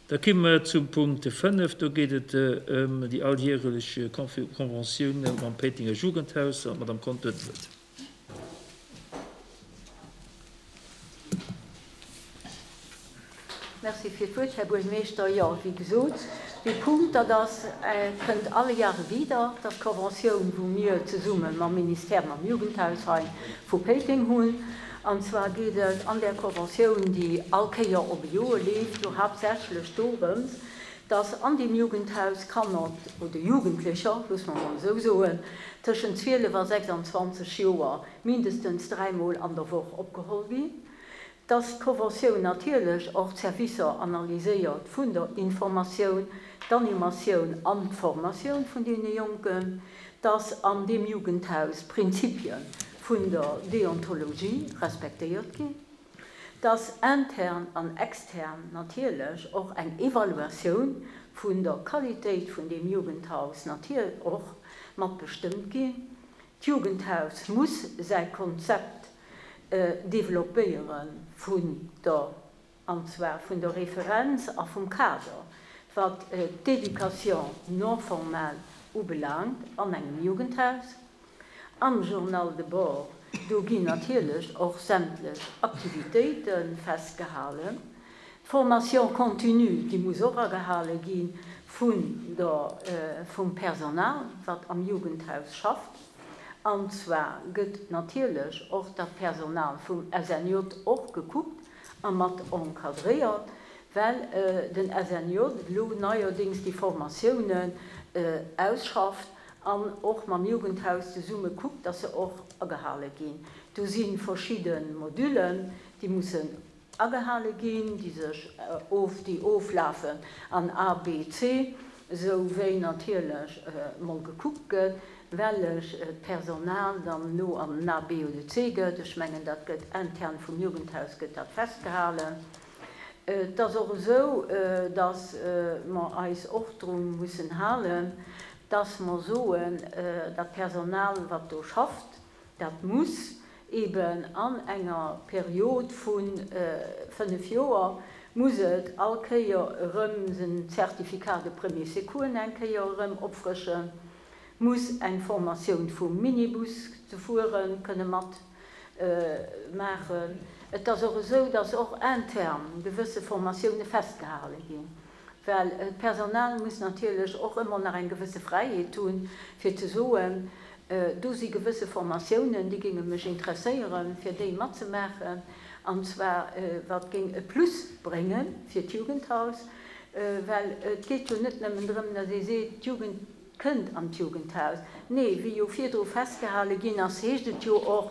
Da komme mer zum Punkt 5, do geet et ëm déi alljärelech Conventioun mam Péitenger Jugendhaus an d'Madame Conter huet d'Wuert. Merci fir d'Wuert, Här Buergmeeschter. Jo, wéi gesot, dee Punkt, dat ass, kënnt alle Jahre wieder, dat ass d'Conventioun, wou mir zesumme mam Ministère, mam Jugendhaus hei vu Péiteng hunn. An zwar geet et an där Conventioun, déi all Kéier op e Joer leeft, jo haaptsächlech dorëms, dass an deem Jugendhaus Kanner oder Jugendlecher, loosse mer emol esou soen, tëschent 12 a 26 Joer mindestens dräimol an der Woch opgeholl ginn. Dass d'Conventioun natierlech och d'Servicer analyséiert vun der Informatioun, d'Animatioun an d'Formatioun vun deene Jonken, dass an deem Jugendhaus d'Prinzipie vun der Deontologie respektéiert ginn, dass intern an extern natierlech och eng Evaluatioun vun der Qualitéit vun deem Jugendhaus natierlech och mat bestëmmt ginn. D'Jugendhaus muss säi Konzept développéiere vun der, an zwar vun der Referenz a vum Kader, wat d'Éducation non formale ubelaangt an engem Jugendhaus. Am Journal de bord, do ginn natierlech och sämtlech Aktivitéite festgehalen. D'Formation continue, déi muss och agehale gi vun der, vum Personal, wat am Jugendhaus schafft. An zwar gëtt natierlech och dat Personal vum SNJ och gekuckt a mat encadréiert, well den SNJ elo neierdéngs déi Formatiounen ausschafft an och mam Jugendhaus zesumme kuckt, dass se och agehale ginn. Do si verschidde Modüllen, déi mussen Agehale ginn, déi sech of, déi oflafen an A, B, C, esou wéi natierlech mol gekuckt gëtt, wellech d'Personal dann elo an den A, B oder C gëtt. Ech mengen, dat gëtt intern vum Jugendhaus gëtt dat festgehalen. Et ass och esou, dass mer eis och dru mussen halen, dass mer soen, dat Personal, wat do schafft, Dat muss eben an enger Period vu 5 Joer, muss et all Kéier erëm den Certificat de premiers secours eng Kéier erëm opfrëschen, muss eng Formatioun vum Minibus ze fuere kënne mat maachen. Et ass och esou, dass och intern gewësse Formatioune festgehale ginn, well d'Personal muss natierlech och ëmmer nach eng gewësse Fräiheet hunn, fir ze soen, Do si gewësse Formatiounen, déi géinge mech interesséieren, fir déi matzemaachen, an zwar wat géing e Plus brénge fir d'Jugendhaus. Well et geet jo net nëmmen drëm, datt ee seet, d'Jugend kënnt an d'Jugendhaus. Nee, wéi jo virdru festgehale ginn ass, heescht et jo och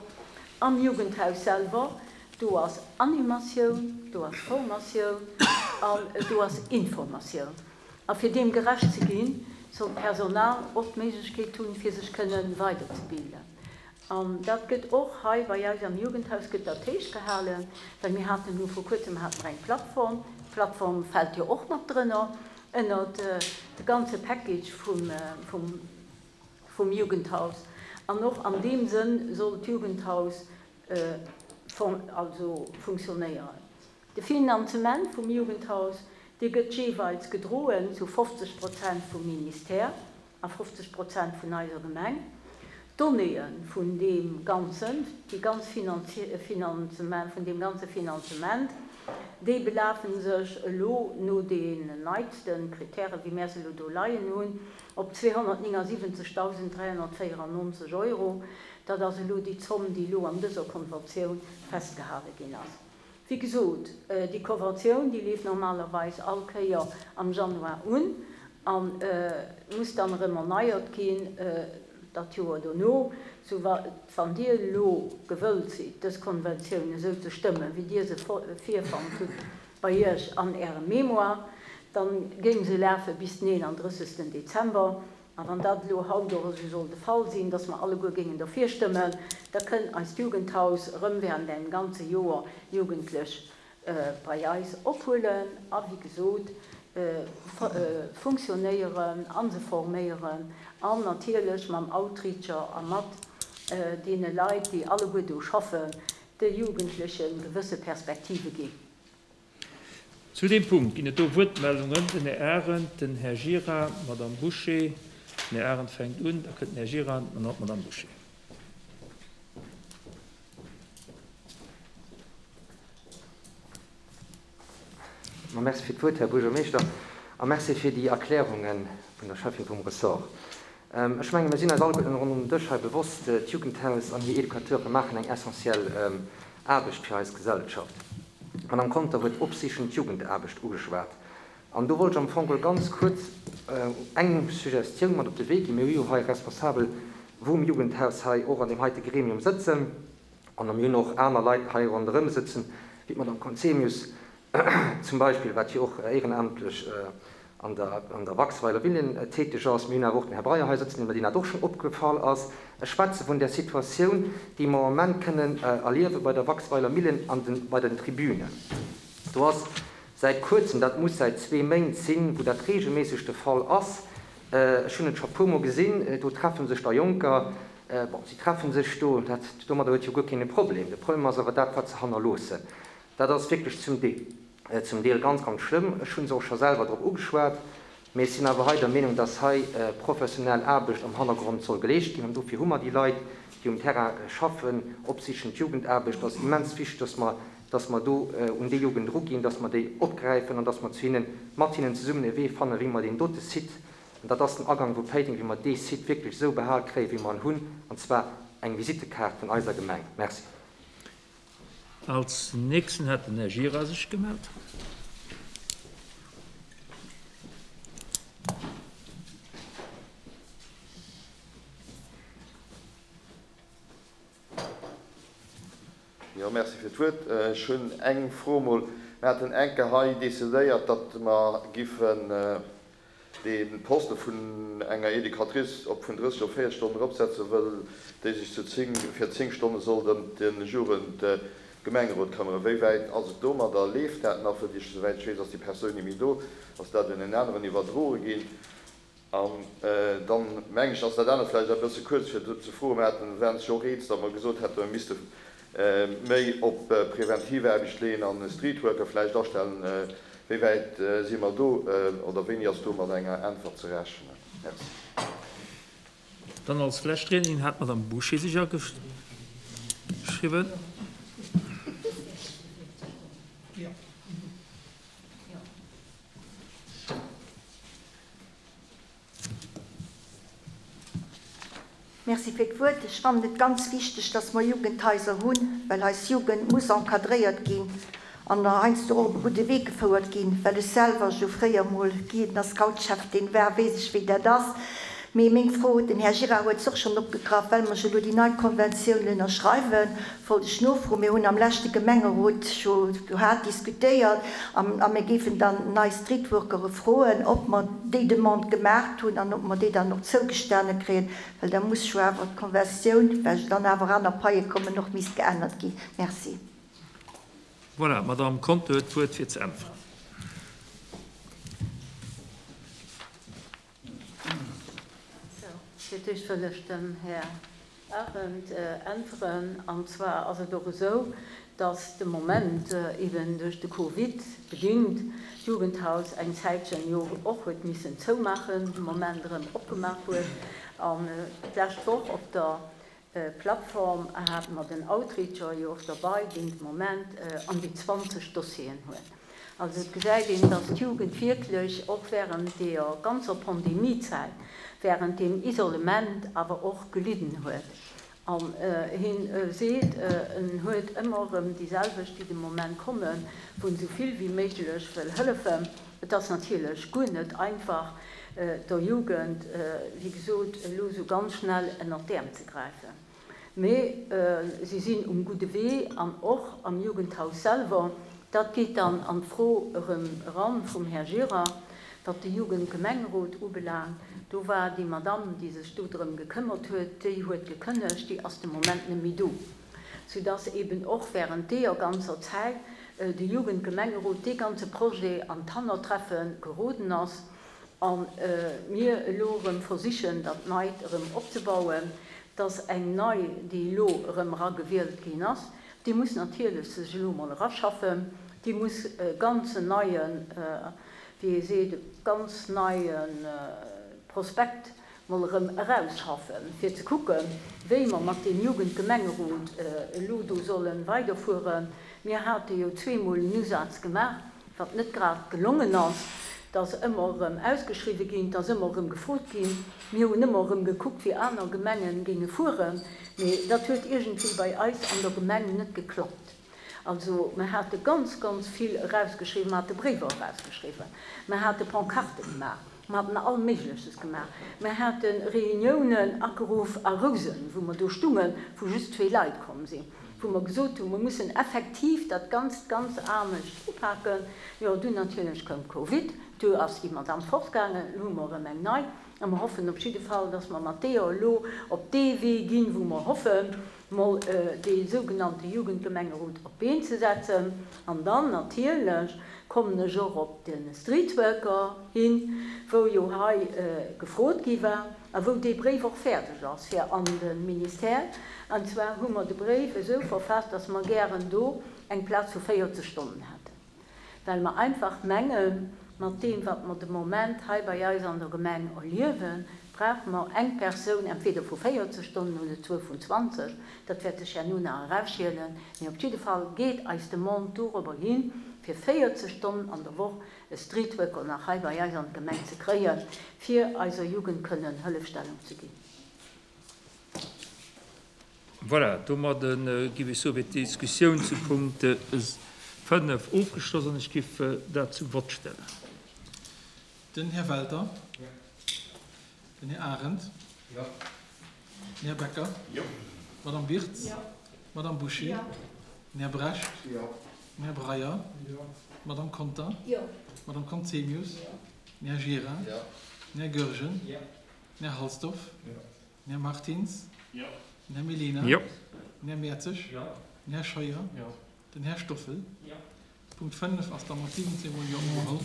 am Jugendhaus selwer, do ass Animatioun, do ass Formatioun an do ass Informatioun. A fir deem gerecht ze ginn, soll d'Personal och d'Méiglechkeet hunn, fir sech kënne weiderzebilden. An dat gëtt och hei bei eis am Jugendhaus gëtt dat héich gehalen, well mir haten elo vor kuerzem hate mer eng Plattform. D'Plattform fält jo och mat drënner ënnert de ganze Package vum, vum, vum Jugendhaus. An och an deem Sënn soll d'Jugendhaus also funktionéieren. De Finanzement vum Jugendhaus, dee gëtt jeeweils gedroen zu 50 Prozent vum Ministère a 50 Prozent vun eiser Gemeng. D'Donnéeë vun deem ganzen, déi ganz Finanzement, vun deem ganze Finanzement, déi belafe sech elo no den neitste Kritären, wéi mär se elo do leien hunn, op 279.394 Euro. Dat ass elo déi Zomm, déi elo an dëser Konventioun festgehale ginn ass. Wéi gesot, déi Konventioun, déi leeft normalerweis all Kéier am Januar un a muss dann erëm erneiert ginn dat Joer dono. Sou wann Dir elo gewëllt sidd, dës Konventioun esou ze stëmmen, wéi Dir se virfonnt hutt bei Iech an Ärem Mémoire, dann géing se lafe bis den 31. Dezember. A wann dat elo haut och esou soll de Fall sinn, dass mer alleguer géingen derfir stëmmen, da kënn eist Jugendhaus erëm während engem ganze Joer Jugendlech bei eis ophuelen a wéi gesot funktionéieren a se forméieren an natierlech mam Outreacher a mat deene Leit, déi alleguer do schaffen, de Jugendleche gewësse Perspektive ginn. Zu deem Punkt ginn et do Wuertmeldungen. Den Här Arendt, den Här Gira, d'Madame Bouché. Den Här Arendt fänkt un, da kënnt den Här Gira an dann d'Madame Bouché. Ma merci fir d'Wuert, Här Buergermeeschter, a merci fir déi Erklärunge vun der Schäffin vum Ressort. Ech menge mir sinn eis alleguerten ronderëm den Dësch hei bewosst, D'Jugendhaus an hir Educateure maachen eng essentiell Aarbecht fir eis Gesellschaft. D'Madame Conter huet opsichend Jugendaarbecht ugeschwat. An do wollt ech am Fong geholl ganz kuerz eng Suggestioun mat op de Wee ginn. Mir hu jo hei Responsabel vum Jugendhaus hei och an deem heite Gremium sëtzen. An mir hunn och aner Leit hei ronderëm sëtzen, wéi d'Madame Conzemius zum Beispill, wat jo och éierenamtlech an der, an der Waxweiler Villen täteg ass. Mir hunn awer och den Här Breyer hei sëtzen, deem dat och schonn opgefall ass. Ech schwätze vun där Situatioun, déi mer am Moment kënnen erliewe bei der Waxweiler Millen an den, bei den Tribünen. Do ass säit Kuerzem, dat muss säit zwee Méint sinn, wou dat regelméisseg de Fall ass, ech hunn et scho puermol gesinn, do treffe sech da Jonker, Bon, si treffe sech do, dat, domadder huet jo guer keen e Problem. De Problem ass awer dat, wat se hannerloossen. Dat ass wierklech zum Deel, zum Deel ganz, ganz schlëmm. Ech hu se och scho selwer drop ugeschwat, mee ech sinn awer hei der Meenung, dass hei professionell Aarbecht am Hannergrond soll geleescht ginn. An dofir hu mer déi Leit, déi um Terrain schaffen, opsichend Jugendaarbecht ass immens wichteg, dass mer, dass mer do un déi Jugend eruginn, dass mer déi opgräifen an dass mer zu hinnen, mat hinnen zesummen e Wee fannen, wéi mer deen dote Site An dat ass den Agang vu Péiteng, wéi mer dee Site wierklech esou behal kréien, wéi mer en hunn, an zwar eng Visittekaart vun eiser Gemeng. Merci. Als nächsten hat den Här Gira sech gemellt. Jo, merci fir d'Wuert. Ech hunn eng Fro emol. Mir haten eng Kéier hei decidéiert, datt mer giffen dee Poste vun enger Educatrice op vun 30 op 40 Stonnen eropsetzen, wëll déi sech zu 10, fir 10 Stonne sollt ëm de Jugendgemengerot këmmeren. Wéi wäit ass et domadder? Leeft dat nach? Wëll ech, souwäit ech weess, ass déi Persoun ni méi do. Ass dat un en aneren iwwerdroe ginn? An dann, mengen ech, ass dat anert vläicht e bësse kuerz fir ze froen. Mir haten, waren sech och eens, datt mer gesot hätten, mir misste méi op Preventivaarbecht leeën an e Streetworker vläicht astellen. Wéi wäit si mer do oder wéini ass do mat enger Äntwert ze rechnen? Merci. Dann als lescht Riednerin hat d'Madame Bouché sech ageschriwwen. Merci fir d'Wuert. Ech fannen et ganz wichteg, dass mer Jugendhaiser hunn, well eis Jugend muss encadréiert ginn an heiansdo och op e gudde Wee gefouert ginn. Well ech selwer jo fréier mol Guiden a Scoutscheftin war, weess ech, wéi dat ass. Mee meng Fro, den Här Gira huet se och schonn opgegraff, well mer jo elo déi nei Konventioun ënnerschreiwen, wollt ech nofroen, Mir hunn am leschte Gemengerot jo do haart diskutéiert a mir géifen dann nei Streetworkere froen, ob mer déi Demande gemaacht hunn an ob mer déi dann och zougestane kréien, well da muss jo awer d'Konventioun, well jo dann awer aner Paie kommen, och misst geännert ginn. Merci. Voilà, d'Madame Conter huet d'Wuert fir ze äntweren. Fir d'éischt wëll ech dem Här Arendt äntweren. An zwar ass et och esou, dass de Moment eben duerch de Covid bedingt d'Jugendhaus eng Zäitchen jo och huet missen zoumaachen, de Moment erëm opgemaach huet. An d'lescht Woch op der Plattform hate mer den Outreacher jo och derbei, deen de Moment an déi 20 Dossieren huet. Also et gesäit een, dass d'Jugend wierklech och während deeër ganzer Pandemiezäit, während deem Isolement awer och gelidden huet. An hien seet, en huet ëmmer erëm déi selwecht, déi de Moment kommen, wou en esou vill wéi méiglech wëll hëllefen. Et ass natierlech guer net einfach, der Jugend, wéi gesot, elo esou ganz schnell ënnert d'Äerm ze gräifen. Mee si sinn um gudde Wee an och am Jugendhaus selwer. Dat geet dann an d'Fro erëm eran vum Här Gira, wat de Jugendgemengerot ubelaangt. Do war déi Madamm, déi sech do drëm gekëmmert huet, déi huet gekënnegt, déi ass de Moment net méi do. Soudass eben och während deeër ganzer Zäit de Jugendgemengerot dee ganze Projet an d'Hannertreffe geroden ass a mir elo erëm versichen, dat Neit erëm opzebauen, dass eng nei, déi elo erëm eragewielt ginn ass, déi muss natierlech sech elo emol eraschaffen. Déi muss e ganzen neien, wéi ee seet, e ganz neie Prospekt mol erëm erausschaffen, fir ze kucken, wéi mer mat deem Jugendgemengerot elo do solle weiderfueren. Mir hate jo zweemol en Usaz gemaach, wat net grad gelongen ass. Et ass ëmmer erëm ausgeschriwwen ginn, et ass ëmmer erëm gefrot ginn. Mir hunn ëmmer erëm gekuckt, wéi aner Gemenge géinge fueren, mee dat huet iergendwéi bei eis an der Gemeng net geklappt. Also mer hate ganz, ganz vill erausgeschriwwen, mer hate Bréiwer erausgeschriwwen, mer hate Pancarte gemaach, mer haten all Méigleches gemaach, mer hate Reuniounen ageruff a Rousen, wou mer do stungen, wou just zwee Leit komm sinn, wou mer gesot hunn, mer mussen effektiv dat Ganzt ganz anescht upaken. Jo, dunn natierlech koum Covid, du ass déi Madamm fortgaangen, elo hu mer erëm eng nei a mer hoffen op jidde Fall, dass mer mat deeër elo op dee Wee ginn, wou mer hoffen, mol dee sougenannte Jugendgemengerot op d'Been ze setzen. An dann natierlech kommen ech och op de Streetworker hin, wou jo hei gefrot gi war a wou dee Bréif och fäerdeg ass fir an de Ministère. An zwar hu mer de Bréif esou verfaasst, dass mer gären do eng Plaz vu 40 Stonnen hätten. well mer einfach mengen, mat deem, wat mer de Moment hei bei eis an der Gemeng erliewen, brauche mer eng Persoun entweder vu 40 Stonnen oder zwou vun 20, dat wäert sech herno nach erausschielen, mee op jidde Fall geet eis Demande dorobber hin, fir 40 Stonnen an der Woch e Streetworker nach hei bei eis an d'Gemeng ze kréien, fir eiser Jugend kënnen Hëllefstellung ze ginn. Voilà, domadde giff ech soen, wier d'Diskussioun zu Punkt 5 ofgeschloss an ech giff dat zum Vott stellen. Den Här Welter. Jo. Den Här Arendt. Jo. Den Här Becker. Jo. D'Madame Birtz. Jo. D'Madame Bouché. Jo. Den Här Brecht. Jo. Den Här Breyer. Jo. D'Madame Conter. Jo. D'Madame Conzemius. Jo. Den Här Gira. Jo. Den Här Goergen. Jo. Den Här Halsdorf. Jo. Den Här Martins. Jo. Den Här Mellina. Jo. Den Här Mertzig. Jo. Den Här Scheuer. Jo. Den Här Stoffel. Jo. Punkt 5 ass da mat 17 mol Jo ugeholl.